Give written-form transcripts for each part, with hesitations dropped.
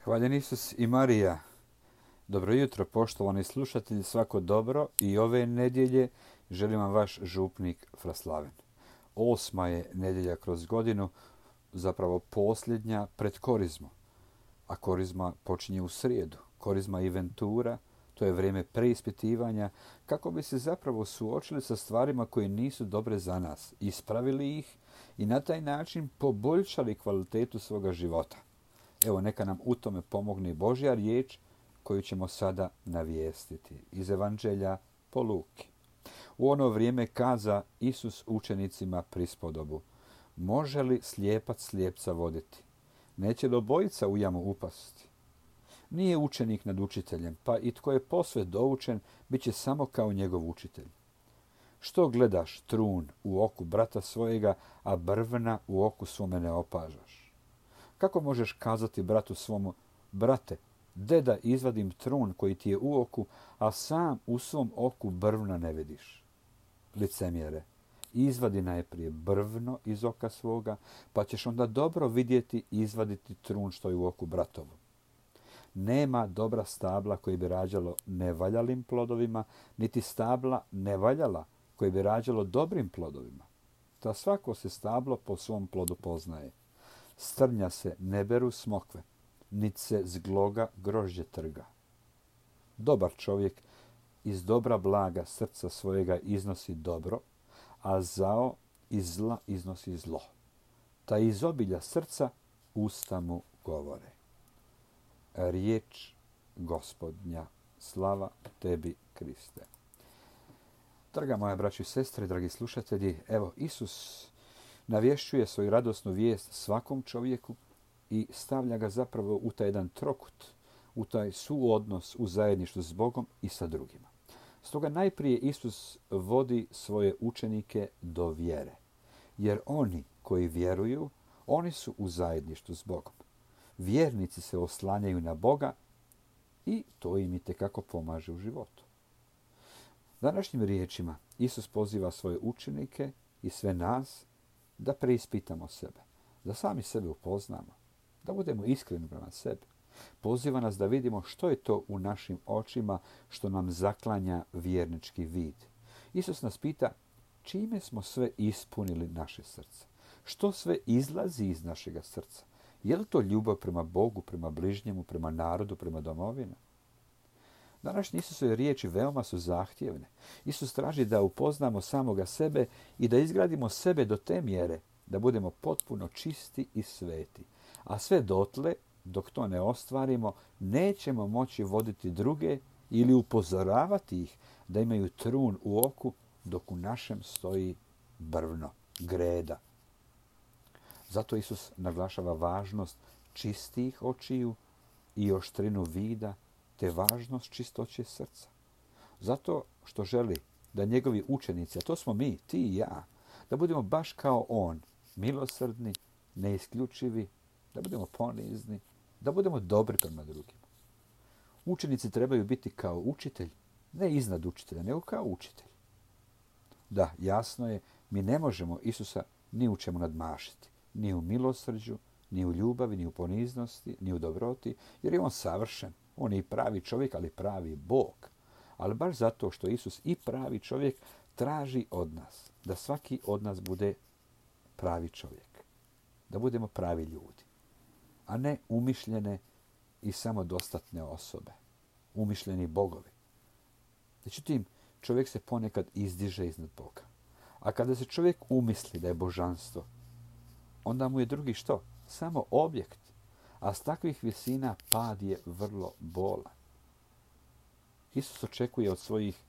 Hvaljen Isus i Marija. Dobro jutro, poštovani slušatelji, svako dobro i ove nedjelje želim vam vaš župnik Fraslaven. 8. je nedjelja kroz godinu, zapravo posljednja pred korizmu. A korizma počinje u srijedu. Korizma i ventura, to je vrijeme preispitivanja kako bi se zapravo suočili sa stvarima koje nisu dobre za nas, ispravili ih i na taj način poboljšali kvalitetu svoga života. Evo, neka nam u tome pomogne Božja riječ koju ćemo sada navijestiti iz Evanđelja po Luki. U ono vrijeme kaza Isus učenicima prispodobu: može li slijepac slijepca voditi? Neće li obojica u jamu upasti? Nije učenik nad učiteljem, pa i tko je posve doučen, bit će samo kao njegov učitelj. Što gledaš trun u oku brata svojega, a brvna u oku svome ne opažaš? Kako možeš kazati bratu svomu: brate, de da izvadim trun koji ti je u oku, a sam u svom oku brvna ne vidiš? Licemjere, izvadi najprije brvno iz oka svoga, pa ćeš onda dobro vidjeti i izvaditi trun što je u oku bratovu. Nema dobra stabla koji bi rađalo nevaljalim plodovima, niti stabla nevaljala koji bi rađalo dobrim plodovima. Ta svako se stablo po svom plodu poznaje. S trnja se ne beru smokve, niti se z gloga grožđe trga. Dobar čovjek iz dobra blaga srca svojega iznosi dobro, a zao iz zla iznosi zlo. Ta iz obilja srca usta mu govore. Riječ Gospodnja, slava tebi, Kriste. Draga moja braćo i sestre, dragi slušatelji, evo Isus navješćuje svoju radosnu vijest svakom čovjeku i stavlja ga zapravo u taj jedan trokut, u taj suodnos u zajedništvu s Bogom i sa drugima. Stoga najprije Isus vodi svoje učenike do vjere, jer oni koji vjeruju, oni su u zajedništvu s Bogom. Vjernici se oslanjaju na Boga i to im itekako pomaže u životu. Današnjim riječima Isus poziva svoje učenike i sve nas da preispitamo sebe, da sami sebe upoznamo, da budemo iskreni prema sebi. Poziva nas da vidimo što je to u našim očima što nam zaklanja vjernički vid. Isus nas pita čime smo sve ispunili naše srce. Što sve izlazi iz našega srca? Je li to ljubav prema Bogu, prema bližnjemu, prema narodu, prema domovini? Današnje Isusove riječi veoma su zahtjevne. Isus traži da upoznamo samoga sebe i da izgradimo sebe do te mjere da budemo potpuno čisti i sveti. A sve dotle, dok to ne ostvarimo, nećemo moći voditi druge ili upozoravati ih da imaju trun u oku dok u našem stoji brvno, greda. Zato Isus naglašava važnost čistih očiju i oštrinu vida, te važnost čistoće srca. Zato što želi da njegovi učenici, a to smo mi, ti i ja, da budemo baš kao on, milosrdni, neisključivi, da budemo ponizni, da budemo dobri prema drugima. Učenici trebaju biti kao učitelj, ne iznad učitelja, nego kao učitelj. Da, jasno je, mi ne možemo Isusa ni u čemu nadmašiti, ni u milosrđu, ni u ljubavi, ni u poniznosti, ni u dobroti, jer je on savršen. On je i pravi čovjek, ali pravi Bog. Ali baš zato što Isus i pravi čovjek traži od nas da svaki od nas bude pravi čovjek. Da budemo pravi ljudi, a ne umišljene i samodostatne osobe. Umišljeni bogovi. Međutim, čovjek se ponekad izdiže iznad Boga. A kada se čovjek umisli da je božanstvo, onda mu je drugi što? Samo objekt. A s takvih visina pad je vrlo bolan. Isus očekuje od svojih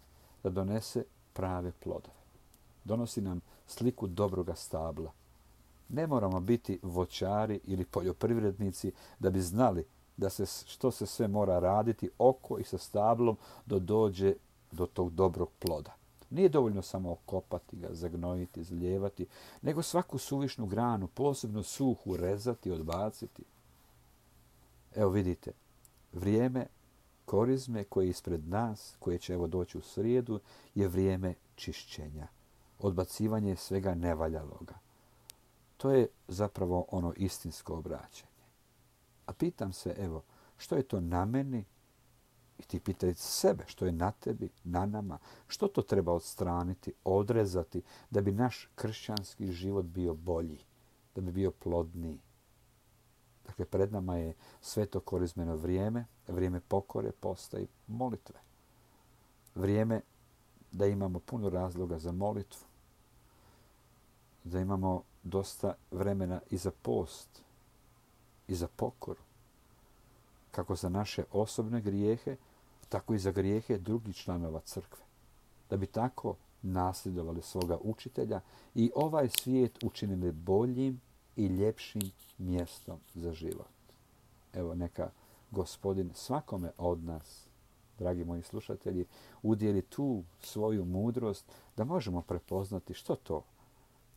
da donese prave plodove. Donosi nam sliku dobroga stabla. Ne moramo biti voćari ili poljoprivrednici da bi znali što se sve mora raditi oko i sa stablom da dođe do tog dobrog ploda. Nije dovoljno samo okopati ga, zagnojiti, zlijevati, nego svaku suvišnu granu, posebno suhu, rezati, odbaciti. Evo vidite, vrijeme korizme koje je ispred nas, koje će evo doći u srijedu, je vrijeme čišćenja, odbacivanje svega nevaljaloga. To je zapravo ono istinsko obraćanje. A pitam se, evo, što je to na meni? I ti pitaj sebe što je na tebi, na nama, što to treba odstraniti, odrezati da bi naš kršćanski život bio bolji, da bi bio plodniji. Dakle, pred nama je sveto korizmeno vrijeme, vrijeme pokore, posta i molitve. Vrijeme da imamo puno razloga za molitvu, da imamo dosta vremena i za post, i za pokoru, kako za naše osobne grijehe, tako i za grijehe drugih članova crkve. Da bi tako nasljedovali svoga učitelja i ovaj svijet učinili boljim i ljepšim mjestom za život. Evo, neka Gospodin svakome od nas, dragi moji slušatelji, udjeli tu svoju mudrost da možemo prepoznati što to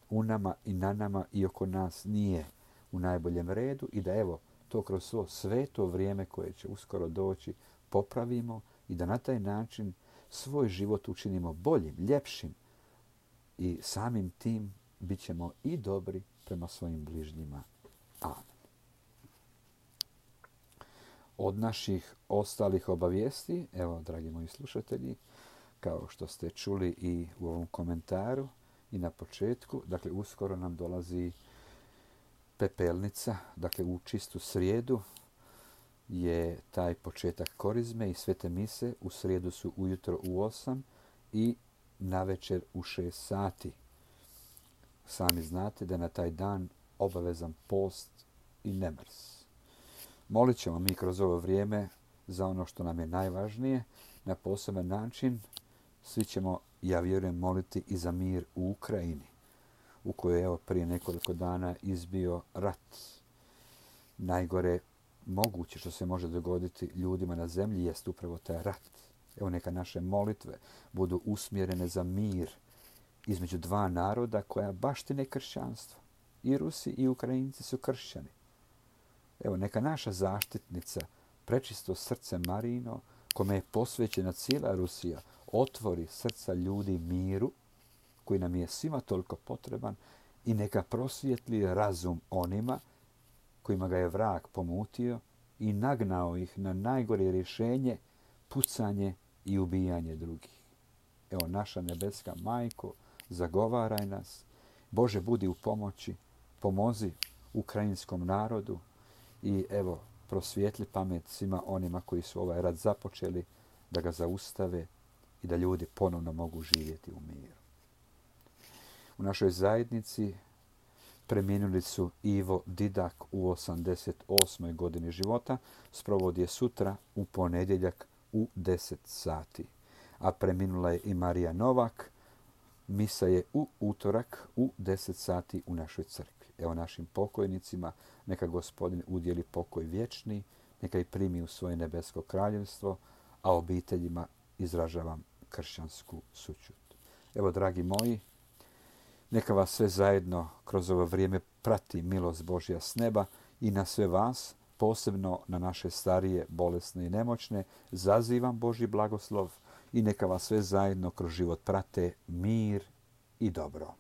u nama i na nama i oko nas nije u najboljem redu i da evo to kroz svo sveto vrijeme koje će uskoro doći popravimo i da na taj način svoj život učinimo boljim, ljepšim i samim tim bit ćemo i dobri prema svojim bližnjima. Amen. Od naših ostalih obavijesti, evo, dragi moji slušatelji, kao što ste čuli i u ovom komentaru i na početku, dakle, uskoro nam dolazi pepelnica, dakle, u čistu srijedu je taj početak korizme i svete mise. U srijedu su ujutro u 8 i navečer u 6 sati. Sami znate da je na taj dan obavezan post i nemrs. Molit ćemo mi kroz ovo vrijeme za ono što nam je najvažnije. Na poseban način svi ćemo, ja vjerujem, moliti i za mir u Ukrajini, u kojoj je evo prije nekoliko dana izbio rat. Najgore moguće što se može dogoditi ljudima na zemlji jest upravo taj rat. Evo, neka naše molitve budu usmjerene za mir između dva naroda koja baštine kršćanstvo. I Rusi i Ukrajinci su kršćani. Evo, neka naša zaštitnica, prečisto srce Marino, kome je posvećena cijela Rusija, otvori srca ljudi miru, koji nam je svima toliko potreban, i neka prosvijetli razum onima kojima ga je vrag pomutio i nagnao ih na najgore rješenje, pucanje i ubijanje drugih. Evo, naša nebeska Majko, zagovaraj nas. Bože, budi u pomoći, pomozi ukrajinskom narodu i evo, prosvijetli pamet svima onima koji su ovaj rat započeli, da ga zaustave i da ljudi ponovno mogu živjeti u miru. U našoj zajednici preminuli su Ivo Didak u 88. godini života. Sprovod je sutra u ponedjeljak u 10 sati. A preminula je i Marija Novak. Misa je u utorak u 10 sati u našoj crkvi. Evo, našim pokojnicima neka Gospodin udjeli pokoj vječni, neka ih primi u svoje nebesko kraljevstvo, a obiteljima izražavam kršćansku sućut. Evo, dragi moji, neka vas sve zajedno kroz ovo vrijeme prati milost Božja s neba i na sve vas, posebno na naše starije, bolesne i nemoćne, zazivam Božji blagoslov i neka vas sve zajedno kroz život prate mir i dobro.